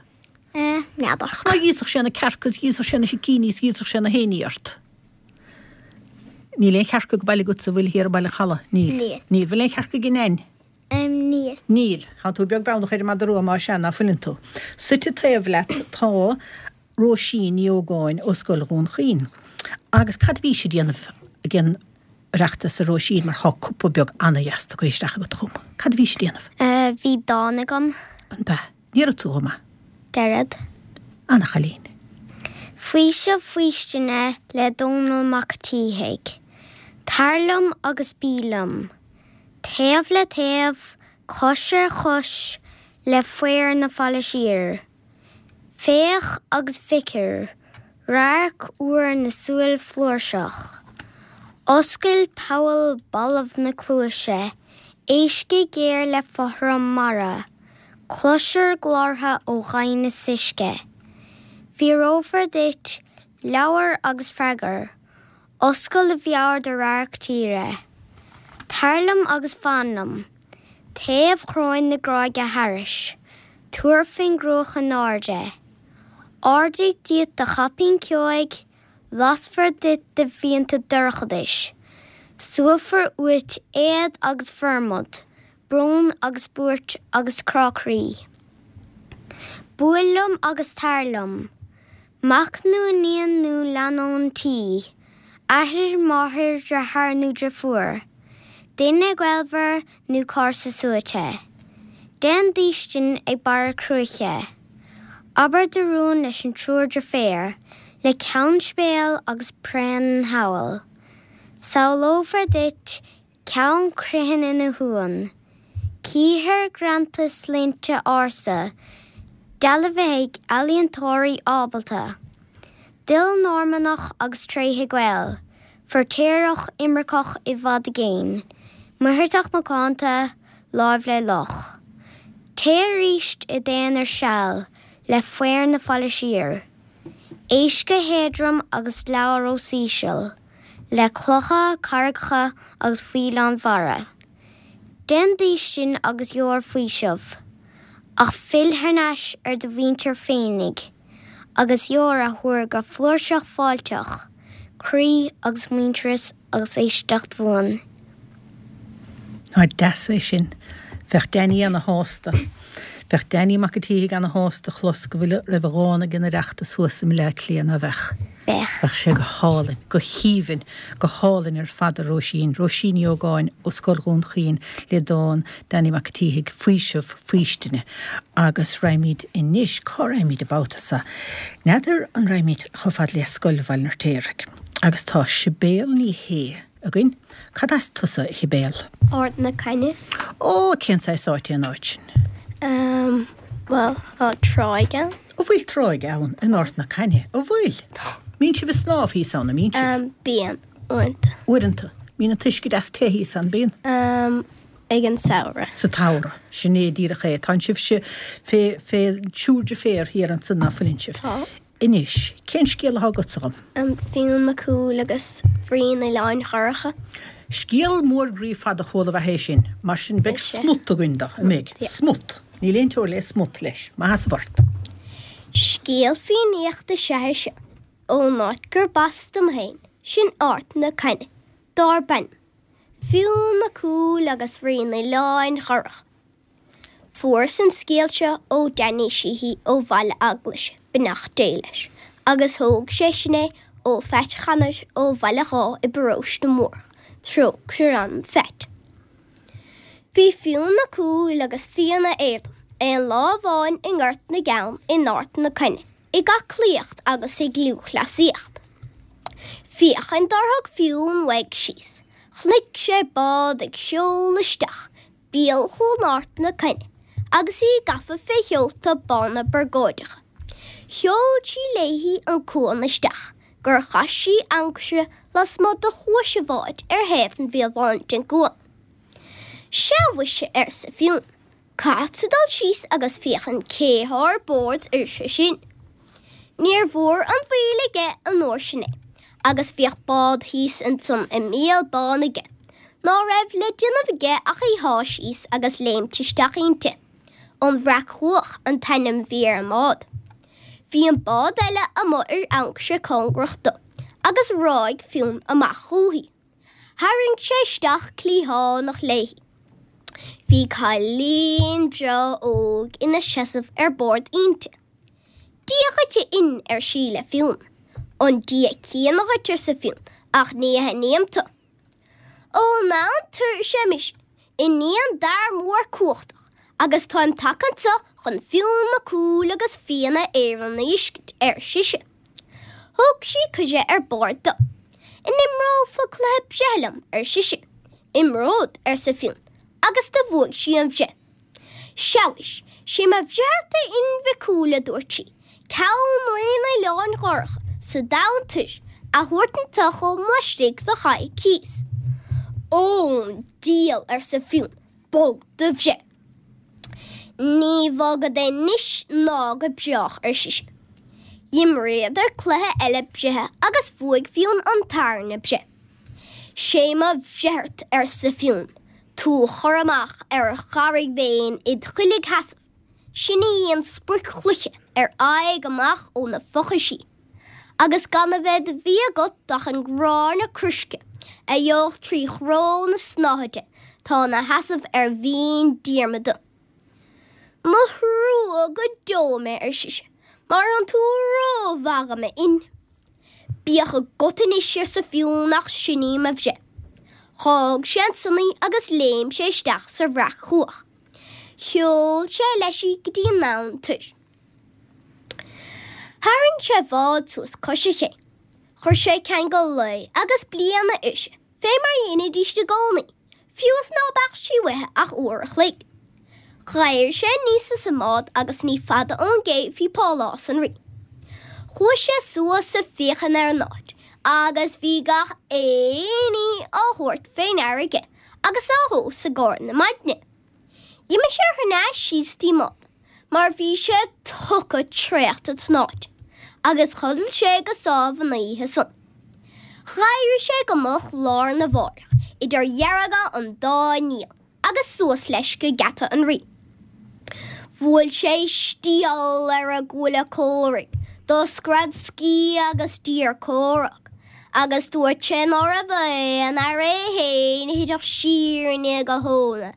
Eh, n'fheadar. Ach ná híosfadh sé na cearca is dh'íosfadh sé na sicíní is dh'íosfadh sé na héinní ort. Níl aon chearca go baile agatsa, an bhfuil, thiar i mBaile an Chalaidh? Níl. Níl. Níl. Bhfuil aon chearca ag an Neain? Em, níl. Níl. Tá tú beag beannach ar an madadh rua, más ea, ná fuileann tú. Suite taobh leat tá Róisín Ní Ógáin ó Scoil Dhún Chaoin. Agus cad a bhís ag déanamh ag an Oireachtas, a Róisín, mar tá cupa beag ana-dheas tugtha isteach agat chugam. Cad a bhís ag déanamh? Eh, bhí dán agam. An b'ea? Déarfaidh tú dhom é. Déarfad. Ana-chailín. Faoiseamh Faoistine le Dónall Mac an tSíthigh. Tar liom agus bí liom. Taobh le taobh, cois ar chois, le faobhar na faille siar. Féach agus feicfir radharc úr na súl flúirseach. Oscail poll balbh na cluaise, éist go géar le fothram mara, cloisir glórtha ó dhoimhneas uisce. Fíorófar duit labhair agus freagair, oscail do mheabhair do radharc tíre. Tar liom agus fan liom, taobh chróin na gráige thairis, tabhair faoin gcruach in airde. Ardaigh díot do chaipín ceoigh, lasfar duit do mhianta dorchadais, suaithfear uait éad agus formad, brón agus buairt agus crá croí. Buail liom agus tar liom, mac nó iníon nó leannán tí, athair, máthair, deartháir nó deirfiúr, duine gaolmhar nó comharsa suaite. Déan d'fhaoistin ag barra cruaiche. Abair do rún leis an triúr deirféar, le Ceann Sibéal agus Braon an Chabhail. Samhlófar duit Ceann Criomhthain ina shuan. Cífir greanta sloinnte ársa, dealbhaithe ag ealaíontóirí ábalta. Duil Normannach agus tréithe Gael, feirtéarach imirceach i bhfad i gcéin, Muircheartach macánta, láimh le loch. Téigh arís i d'aonar seal le faobhar na faille siar. Éist go héadrom agus labhair os íseal le clocha, carraigeacha agus faoileáin mhara. Déan d'fhaoistin agus gheobhair faoiseamh, ach fill thar n-ais ar do mhuintir féinig agus gheobhair athuair go flúirseach fáilteach, croí agus muintearas agus éisteacht bhuan. Ná deas é sin. Bheadh Danny ana-shásta. Bheadh Danny Mac an tSíthigh ana-shásta a chlos go bhfuil raibh a dhán ag an Oireachtas thuas i mBleá Cliath, ná bheadh? Bheadh. Bheadh sé go hálainn, go haoibhinn, go hálainn ar fad a Róisín, Róisín Ní Ógáin ó Scoil Dhún Chaoin le dán Danny Mac an tSíthigh, Faoiseamh Faoistine. Agus raghaimid anois, cá raghaimid an babhta seo? N'fheadar an raghaimid chomh fada le Scoil Bhaile an Fheirtéaraigh. Agus tá Sibéal Ní Shé againn. Cad as tusa, a Shibéal? Ard na Caithne. Ó, cén saghas áit é an áit sin? Um, bhuel, tá tráigh ann. An bhfuil tráigh ann in Ard na Caithne? An bhfuil? Tá. Mbíonn sibh ag snámh thíos ann, an mbíonn sibh? Bíonn, uaireanta. Uaireanta. Mbíonn an t-uisce deas te thíos ann, bíonn? Ag an samhradh. Sa tsamhradh. Sin é díreach é. Tánn sibhse fé, fé triúr deirféar thiar ansan, ná fuileann sibh? Tá. Anois, cén scéal atá agatsa dhom? Fionn Mac Cumhaill agus Rí an Oileáin Dhorcha. Scéal mór groí fada chuala ab ea é sin. Mar sin beidh smut againn dó, an mbeidh? Smut. Níl aon teora le smut leis. Maith as ort. Scéal Fiannaíochta is ea é seo, ón áit gurb as dom féin, sin Ard na Caithne, darb ainm Fionn Mac Cumhaill agus Rí an Oileáin Dhorcha. Fuaireas an scéal seo ó Danny Sheehy ó Bhaile Eaglais, beannacht Dé leis, agus thóg seisean é ó Phat Chanair ó Bhaile Dháith i bParóiste Mórdhach, trócaire ar anam Phat. Bhí Fionn Mac Cumhaill agus Fianna Éireann aon lá amháin i nGort na gCeann in Ard na Caithne ag aclaíocht agus ag lúthchleasaíocht. Féachaint dár thug Fionn uaidh síos, chonaic sé bád ag seoladh isteach béal Chuan Ard na Caithne agus í gafa fé sheolta bána burgóideacha. Sheol sí léi an cuan isteach gur chaith sí ancaire lasmuigh de chuais an bháid ar thaobh an bhéil bháin den gcuan. Sea mhuise, arsa Fionn, caithfeadsa dul síos agus féachaint cé thá ar bord uirthi sin. Níor mhór an mhoill aige an uair sin é, agus bhíodh bád thíos ansan i mbéal bán aige, ná raibh le déanamh aige ach í shá síos agus léimt isteach inti. An Bhreac-Chuach an t-ainm bhí ar an mbád. Bhí an bád eile amuigh ar ancaire cóngarach do, agus ráig Fionn amach chúithi. Tharraing sé isteach cliathánach léi. Bhí cailín breá óg ina seasamh ar bord inti. Dia dhuit a Fhinn, ar sí le Fionn. An Dia céanna dhuit, arsa Fionn, ach ní aithním tu. Ón Abhainn Toir is ea mise, iníon d'fhear mór cumhachtach, agus táim tagtha anso chun Fionn Mac Cumhaill agus Fianna Éireann a fheiscint, ar sise. Thug sí cuireadh ar bord do. An imreofá cluiche breithe liom, ar sise. Imreod, arsa Fionn, agus do bhuaigh sí an bhreith. Sea mhuis, sé mo bhreith ort a Fhinn Mhic Cumhaill, a dúirt sí, ceann Rí an Oileáin Dhorcha sa domhan toir a thabhairt anso chugam laistigh de choicíos. Ón diabhal, arsa Fionn, bog do bhreith. Ní bhogfad anois ná go brách, ar sise. Dh'imríodar cluiche eile breithe agus bhuaigh Fionn an tarna breith. Sé mo bhreith ort, arsa Fionn, tú a chur amach ar Charraig Bhéin id chuiligsheasamh, sin í an sprioc-chloiche ar aghaidh amach ó na fochaisí, agus gan a bheith de bhia agat ach an gráinne coisricthe a gheobhadh trí chró na snáthaide tá ina sheasamh ar Bhinn Diarmada. Mo thrua go deo mé, ar sise, mar thánn tú rómhaith dhom, a Fhinn. Bíodh agat anois, arsa Fionn, ach sin í mo bhreith. Dh'fhág sé ansan í agus léim sé isteach sa Bhreac-Chuach. Sheol sé leis í go dtí an Abhainn Toir. Tharraing sé a bhád suas cois an ché. Chuir sé ceangal lae agus bliana uirthi, fé mar a dheinidíst i gcónaí, fiú is ná beadh sí uaithe ach uair a chloig. D'éirigh sé aníos as an mbád agus ní fada ón gcé bhí pálás an rí. Chuaigh sé suas ag féachaint ar an áit agus bhí gach aon ní á thabhairt fé ndeara aige agus á thomhas i gcomhair na maidne. D'imigh sé thar n-ais síos dtí an mbád mar bhí sé tugtha traochta san áit agus chodail sé go sámh an oíche san. D'éirigh sé go moch lá arna mháireach idir dhearga an dá néal agus suas leis go geata an rí. Bhuail sé stiall ar an gcuaille comhraidh, do scread sciath agus d'iarr comhrac, agus dúirt sé ná raibh aon fhear é féin a thitfeadh siar i ndiaidh a thóna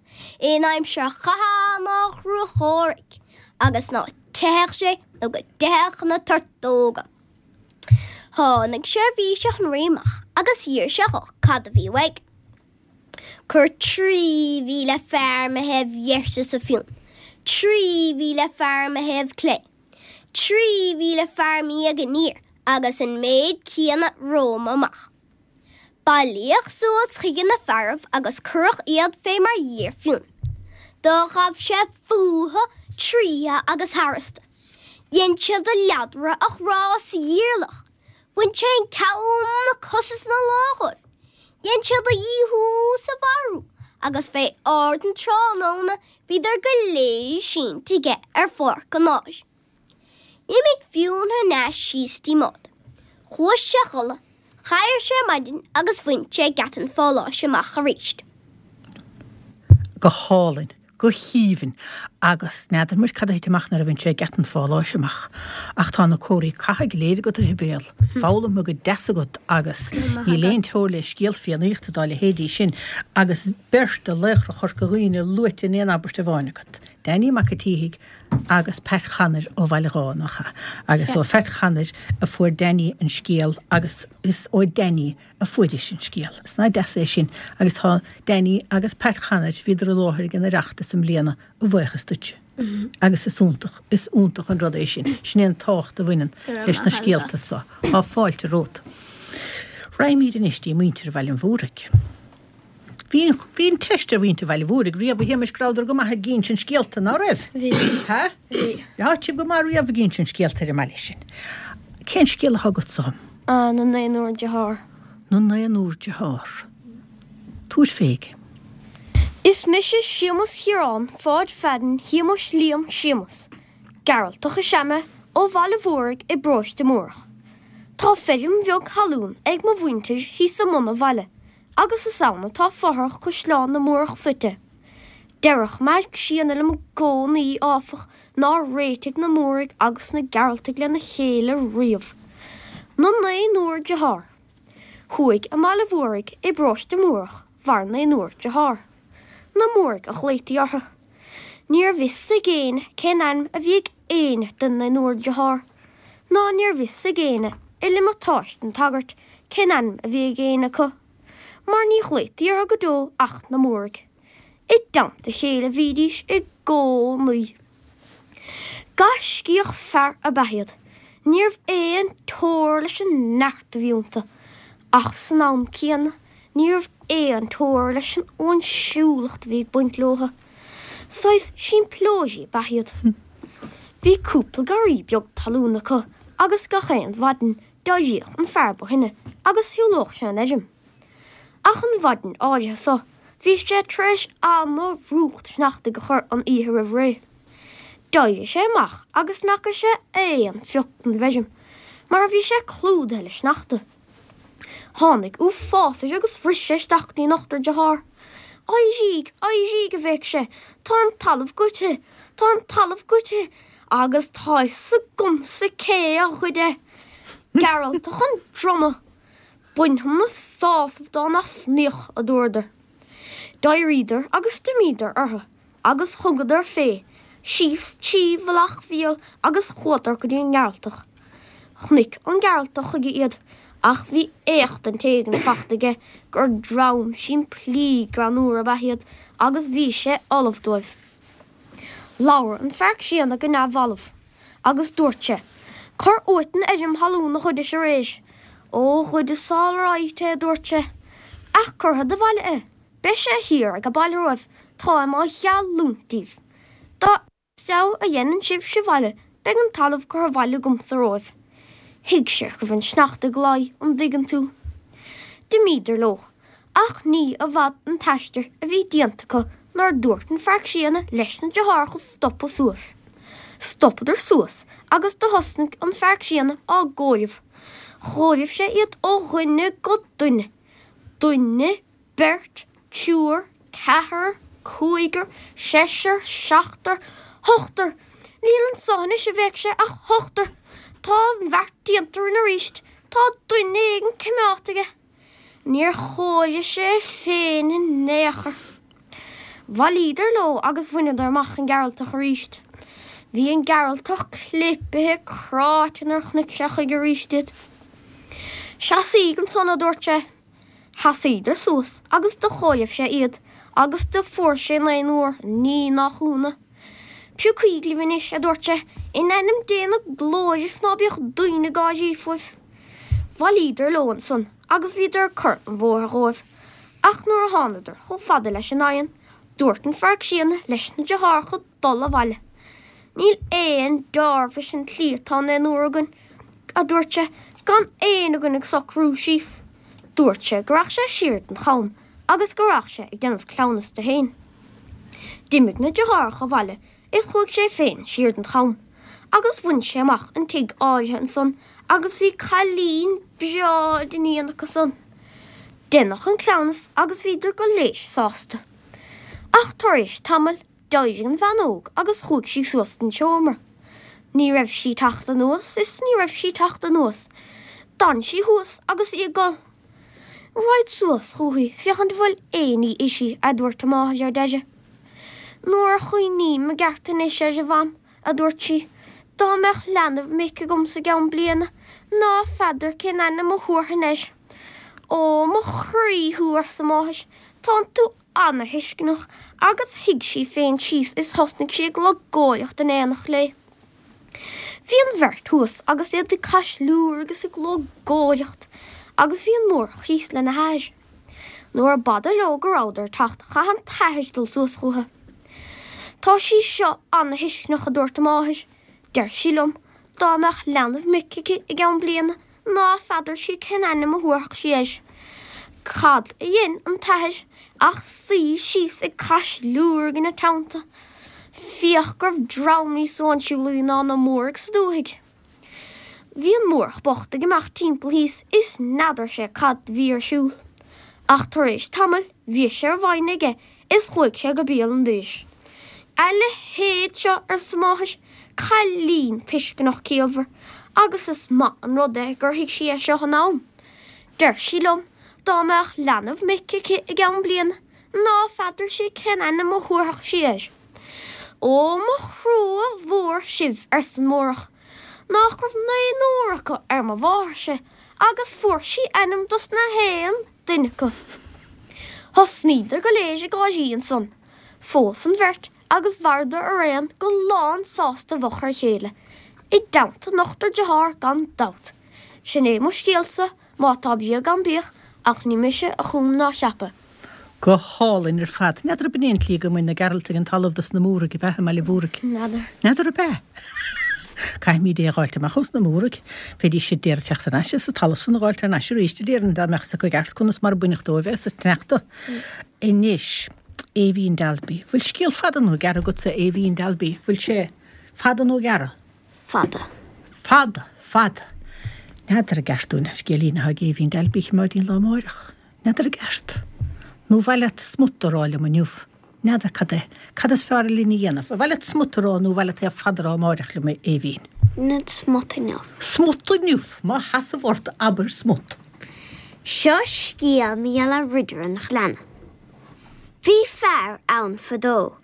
in aimsir chatha ná chruachomhraic, agus ná teithfeadh sé nó go dteithfeadh na tortóga. Tháinig seirbhíseach an rí amach agus d'iarr sé dho cad a bhí uaidh. Cuir trí mhíle fear mo thaobh dheis, arsa Fionn, trí mhíle fear mo thaobh clé, trí mhíle fear im dhiaidh aniar agus an méid céanna romham amach. Bailíodh suas chuige na fearaibh agus cuireadh iad fé mar d'iarr Fionn. Do ghabh sé fúthu, tríothu agus tharstu. Dhein siad a leadradh a chrá sa ghiarlach. Bhain sé an ceann, na cosa is na lámha dhóibh. Dhein siad a dhíothú is a mharú agus fé ard an tráthnóna bhíodar go léir sínte aige ar pháirc an áir. D'imigh Fionn thar n-ais síos dtí Maud. Chuaigh sé a chodladh, d'éirigh sé ar maidin agus bhain sé geata an pháláis amach arís. Go hálainn, go haoibhinn. Agus n'fheadar muid cad a thit amach nuair a bhain sé geata an pháláis amach. Ach tá na comharthaí catha go léir agat, a Shibéal. Foghlamtha go deas agat agus níl aon teora le scéal Fiannaíochta dá leithéidí sin agus beirt de laochra Chorca Dhuibhne luaite in aon abairt amháin agat. Danny Mac a' tSíthigh agus Pat Chanair ó Bhaile Dháith, nach ea? Agus ó Phat Chanair a fuair Danny an scéal agus is ó Danny a fuairis an scéal. Is nach deas é sin agus tá Danny agus Pat Chanair, bhíodar i láthair ag an Oireachtas i mbliana, a bhuíochas duitse. Agus is iontach, is iontach an rud é sin. Sin é an tábhacht a bhaineann leis na scéalta so. Tá fáilte romhat. Raghaimid anois dtí muintir Bhaile an Mhúraigh. Bhí bhí an teist ar mhuintir Bhaile Mhúraigh riamh a Shéamais go rabhadar go maith ag insint scéalta, ná raibh? Bhí. Ha? Bhí. Bhí sibh go maith riamh ag insint scéalta ar an mbaile sin. Cén scéal atá agatsa dhom? Ah, na Naonúr Dearthár. Na Naonúr Dearthár. Tabhair féig. Is mise Séamus Chiaráin Pháid Pheaidín Shéamuis Liam Séamus. Gearaltach is ea mé ó Bhaile Mhúraigh i bparóiste Múrach. Tá feirm bheag thalún ag mo mhuintir thíos i mbun an bhaile agus is ann atá fothrach Chaisleán na Múrach suite. Deireadh Meaig Síona liom i gcónaí, áfach, nár réitigh na Múraigh agus na Gearaltaigh lena chéile riamh. Na Naonúr Dearthár. Thuaidh i mBaile Mhúraigh i bparóiste Múrach mhair naonúr dearthár. Na Múraigh a ghlaotaí orthu. Níorbh fhios ag éinne cén ainm a bhí ag éinne den naonúr dearthár, ná níorbh fhios ag éinne i liomatáiste an tsagairt cén ainm a bhí ag éinne acu, mar ní ghlaotaí orthu go deo ach na Múraigh. I dteannta a chéile a bhídís i gcónaí. Gaiscíoch fear ab ea iad. Níorbh aon teora leis an neart a bhí iontu, ach san am céanna níorbh aon teora leis an óinsiúlacht a bhí ag baint leothu. Saghas simpleoirí ab ea iad. Bhí cúpla garraí beag talún acu agus gach aon mhaidin d'éiríodh an fear ba shine agus shiúlódh sé an fheirm. Ach an mhaidin áirithe so, bhí sé tar éis ana-bhrúcht sneachtaidh a chur an oíche roimh ré. D'éirigh sé amach agus n'fhaca sé aon phioc den bhfeirm, mar bhí sé clúdaithe le sneachta. Tháinig uafás air agus rith sé isteach go dtí an ochtar dearthár. Éiríg, éiríg, a bhéic sé, tá an talamh goidte, tá an talamh goidte, agus tá fhios agamsa cé a ghoid é! Gearaltach an Droma! Bainfidh muid sásamh dá n-osnaíocht, a dúradar. D'éiríodar agus d'imíodar orthu agus thugadar fé síos trí Mhullach Mhíl agus chuadar go dtí an nGearaltach. Chonaic an Gearaltach chuige iad ach bhí éachtaint éigin fachta aige gur dream simplí greannúr ab ea iad agus bhí sé ullamh dóibh. Labhair an fear críonna go neamhbhalbh agus dúirt sé, Cuir uait an fheirm thalún a ghoidis aréir. Ó, ghoideas alright é, a dúirt sé. Ach cuirfead abhaile é. Beidh sé thiar age baile romhaibh, táim á gheallúint daoibh. Dá fheabhas a dhéanann sibhse abhaile, beidh an talamh curtha abhaile agamsa romhaibh. Thuig sé go raibh an sneachta ag luí, an dtuigeann tú. D'imíodar leo. Ach ní i bhfad an t-aistear a bhí déanta acu nuair a dúirt an fear críonna leis na deartháireacha stopadh suas. Stopadar suas agus do thosnaigh an fear críonna á gcomhaireamh. Chomhaireamh sé iad ó dhuine go duine. Duine, beirt, triúr, ceathrar, cúigear, seisear, seachtar, ochtar! Níl anso anois, a bhéic sé, ach ochtar! Tá an bheart déanta orainn arís, tá duine éigin coimeádta aige. Níor chomhairigh sé é féin in aon chor. Bhailíodar leo agus bhaineadar amach an Gearaltach arís. Bhí an Gearaltach clipithe cráite nuair a chonaic sé chuige arís iad. Seasaíg ansan, a dúirt sé. Sheasaíodar suas agus do chomhaireamh sé iad agus do fuair sé naonúr, ní nach ionadh. Piocaíg libh anois, a dúirt sé, in ainm Dé na glóire is ná bíodh daoine ag gáirí fúibh. Bhailíodar leo ansan agus bhíodar ag cur an bhóthair dhóibh. Ach nuair a thánadar chomh fada leis an oigheann, dúirt an fear críonna leis na deartháireacha dul abhaile. Níl aon deáramh leis an tslí atá an naonúr againn, a dúirt sé, Gan éinne againn ag socrú síos. Dúirt sé go rachadh sé siar don cham agus go rachadh sé ag déanamh cleamhnas de fhéin. D'imigh na deartháireacha abhaile is chuaigh sé féin siar don cham agus bhain sé amach an tigh áirithe ansan agus bhí cailín breá d'iníon acu san. Deineadh an cleamhnas agus bhíodar go léir sásta. Ach tar éis tamaill d'éirigh an bhean óg agus chuaigh sí suas don seomra. Ní raibh sí teacht anuas is ní raibh sí teacht anuas. D'fhan sí thuas agus í ag gol. Raghad suas chúithi féachaint an bhfuil aon ní uirthi, a dúirt a máthair ar deireadh. Nuair a chuimhním i gceart anois air, a Mham, a dúirt sí, dá mbeadh leanbh mic agamsa i gceann bliana, ná feadar cén ainm a thabharfainn air. Ó, mo chroí thú, arsa a máthair, tánn tú ana-thuisceanach, agus shuigh sí féin síos is thosnaigh sí ag logóireacht in éineacht léi. Bhí an bheirt thuas agus iad ag caisliúr agus ag logóireacht agus bhí an Mórdhach thíos lena hathair. Nuair a b'fhada leo go rabhadar ag teacht chaith an t-athair dul suas chucu. Tá sí seo ana-thuisceanach a dúirt a máthair. Deir sí liom dá mbeadh leanbh mic aici i gceann bliana ná feadar sí cén ainm a thabharfadh sí air. Cad a dhein an t-athair ach suí síos ag caisliúrg ina teannta. Féach go raibh dream níos suáinsiúlaí ná na Mórdhaigh sa dúthaigh. Bhí an Mórdhach bocht ag imeacht timpeall thíos is n'fheadar sé cad bhí ar siúl. Ach tar éis tamaill bhris sé ar a mhoineadh aige is chuaigh sé go béal an dorais. A leithéid seo, arsa máthair, cailín tuisceanach ciallmhar, agus is maith an rud é gur thuig sí é seo in am. Deir sí liom dá mbeadh leanbh mic aici i gceann bliana ná feadar sí cén ainm a thabharfadh sí air. Ó mo thrua mhór sibh, arsa an Mórdhach, nach raibh naonúr acu ar mo mháthairse agus fuair sí ainm dos na haon duine acu. Thosnaíodar go léir ag gáirí ansan. Phós an bheirt agus mhaireadar araon go lán sásta i bhfochair a chéile, i dteannta a n-ochtar dearthár gan dabht. Sin é mo scéalsa, má tá bíog gan bíodh, ach ní mise a chum ná cheap é. Go hálainn ar fad. N'fheadar ab in é an tslí go mbain na Gearaltaigh an talamh dos na Múraigh ab ea i mBaile Mhúraigh? N'fheadar. N'fheadar ab ea? Caithfimid é a dh'fháilt amach ós na Múraigh. Bheidís ag iarraidh teacht thar n-ais is an talamh san a dh'fháilt thar n-ais arís a déarfainn dá mbeadh 's acu i gceart conas mar a baineadh dóibh é sa tsneachta. Anois, Aoibhín Dalby. Bhfuil scéal fada nó gearr agatsa, Aoibhín Dalby? Bhfuil sé fada nó gearr? Fada. Fada, fada. N'fheadar an gceart dúinn an scéilín atá ag Aoibhín Dalby a choimeád dtí'n lá amáireach. N'fheadar an gceart. Nó an mhaith leat smut a rá liom inniu? N'fheadar cad é. Cad is fearr linn a dhéanamh? An mhaith leat smut a rá nó an mhaith leat é fada a rá amáireach liom, a Aoibhín? Nó smut inniu. Smut inniu! Má sheasamh ort, abair smut. Seo scéal mar gheall ar Ridire an Ghleanna. Bhí fear ann fadó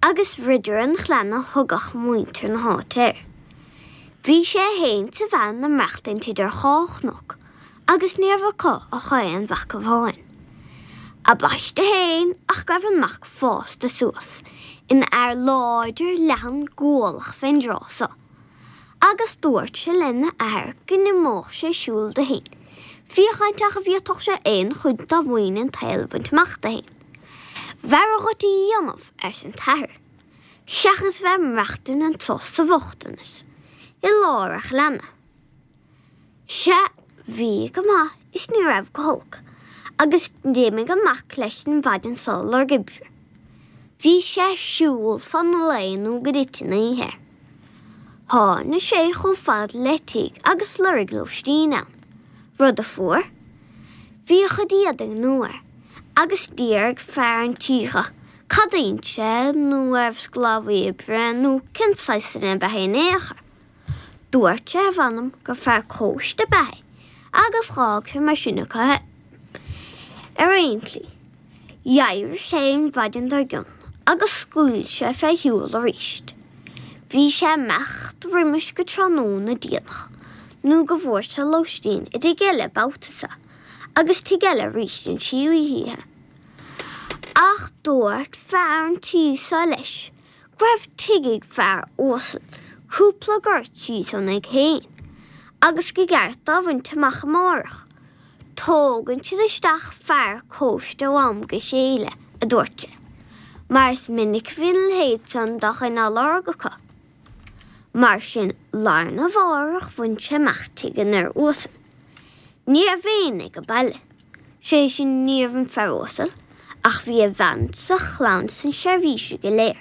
agus Ridire an Ghleanna thugadh muintir na háite air. Bhí sé fhéin 's a bhean ag maireachtaint idir dhá chnoc agus ní raibh acu ach aon mhac amháin. A bpaiste fhéin ach go raibh an mac fásta suas ina fhear láidir leathan gualach fén dtráth so. Agus dúirt sé lena athair go n-imeodh sé ag siúl de fhéin, féachaint ach a bhféadfadh sé aon chuid dá mhaoin an tsaoil a bhaint amach de fhéin. B'fhearra dhuit a dhéanamh, arsa an t-athair, seachas bheith ag maireachtaint anso sa bhochtanas, i lár an ghleanna. Sea, bhí go maith is ní raibh go holc, agus d'imigh an mac leis an mhaidin so ag lorg oibre. Bhí sé ag siúl fan lae nó go dtit an oíche air. Tháinig sé chomh fada le tigh agus lorg lóistín ann, rud a fuair. Bhí a chuid éadaigh nua air agus d'iarr fear an tí dhe cad a dhein sé nó arbh sclábhaí oibre nó cén saghas duine ab ea é in aon chor. Dúirt sé a mh'anam gur fear cóiste ab ea é agus dh'fhág sé mar sin acu é. Ar aon tslí, d'éirigh sé an mhaidin dár gcionn agus scaoil sé fé shiúl aríst. Bhí sé ag imeacht roimis go tráthnóna déanach nó go bhfuair sé lóistín i dtigh eile babhta so agus tigh eile aríst an tríú hoíche. Ach dúirt fear an tí so leis go raibh tigh ag fear uasal cúpla gort síos óna thigh féin agus go gceart dó a bhaint amach amárach. Tógann siad isteach fear cóiste ó am go chéile, a dúirt sé, mar is minic a bhíonn a leithéid san de dhuine á lorg acu. Mar sin, lá arna mhárach bhain sé amach tigh an fhir uasail. Ní raibh éinne ag an baile, sé sin ní raibh an fear uasal, ach bhí a bhean 's a chlann 's na seirbhísigh go léir.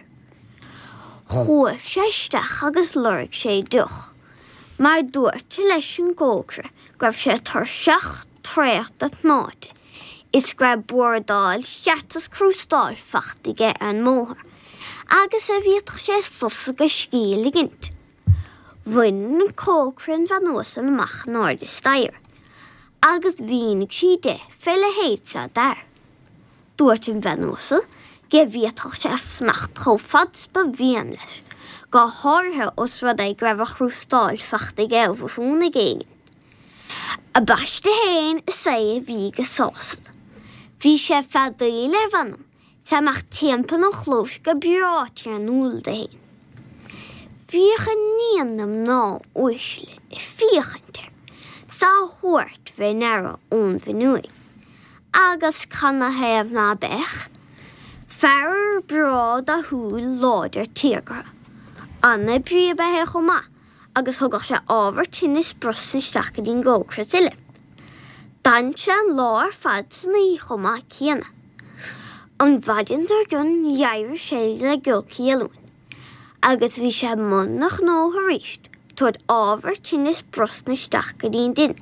Chuaigh sé isteach agus lorg sé deoch, mar dúirt leis an gcócaire go raibh sé tuirseach traochta tnáite is go raibh bordáil cheart is crústáil fachta aige ar an mbóthar, agus a bhféadfadh sé sos agus scíth a ligint. Bhain an cócaire an bhean uasal amach in airde staighre agus mhínigh sí di fé leithéid seo d'fhear. Dúirt an bhean uasal go bhféadfadh sé fanacht chomh fad 's ba mhian leis, go háirithe os rud é go raibh a chrústáil fachta aige ó bhithiúnaigh éigin. Ambaiste féin is é a bhí go sásta. Bhí sé feadaíl ar mh'anam 's é amach timpeall an chlóis go breá tiarnúil de fhéin. Bhíodh iníon na mná uaisle ag féachaint air 's á thabhairt fé ndeara ón bhfuinneoig. Agus canathaobh ná beadh? Fear breá dathúil láidir téagartha. An-oibrí ab ea é chomh maith agus thugadh sé ábhar tine is brosna isteach go dtí'n gcócaire is uile. D'fhan sé an lá ar fad san oíche chomh maith céanna. An mhaidin dár gcionn d'éirigh sé le giolcaí oiliúin agus bhí sé i mbun a ghnó arís, tabhairt ábhar tine is brosna isteach go dtí'n dtine.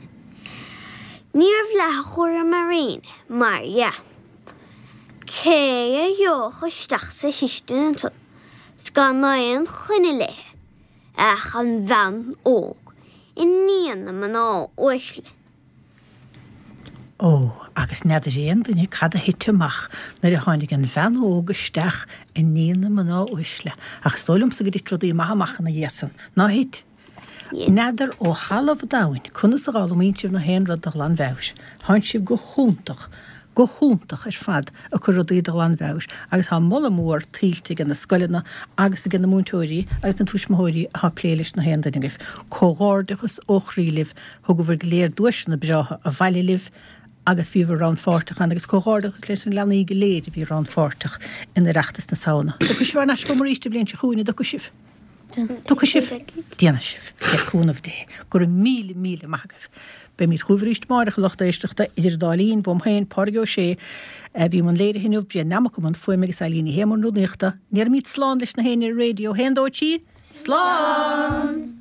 Ní raibh leath a chúram ar éinne, mar dhea. Cé a gheobhadh isteach sa chistin ansan 's gan aon choinne léi ach an bhean óg, iníon na mná uaisle? Ó, agus n'fheadar aon duine cad a thit amach nuair a tháinig an bhean óg isteach, iníon na mná uaisle, ach is dóigh liomsa go dtit rudaí maithe amach ina dhiaidh san. Ná thit? N'fheadar ó thalamh an domhain conas a dh'fhoghlaimíonn sibh na haon rud de ghlanmheabhair. Thánn sibh go hiontach, go hiontach ar fad ag cur rudaí de ghlanmheabhair agus tá moladh mór tuillte age na scoileanna agus age na múinteoirí agus na tuismitheoirí atá ag plé leis na haon duine agaibh. Comhghairdeachas ó chroí libh, thugabhair go léir duaiseanna breátha abhaile libh agus bhíobhair rannpháirteach ann agus comhghairdeachas leis na leanaí go léir a bhí rannpháirteach in Oireachtas na Samhna. Tiocfaidh sibh thar n-ais chugam arís an bhliain seo chugainn, an dtiocfaidh sibh? Tiocfaidh sibh? Déanfaidh sibh, le cúnamh Dé. Go raibh míle míle maith agaibh. Beimid chugaibh arís amárach, a lucht éisteachta, idir an dá linn, uaim féin, Pádraig Ó Sé, a bhí i mbun léirithe inniu, Brian Nammock i mbun fuaime agus Eileen Ní Shé i mbun rúnaíochta. Ndéarfaimid slán leis na héinne ar an raidió. Haon, dó, trí, slán!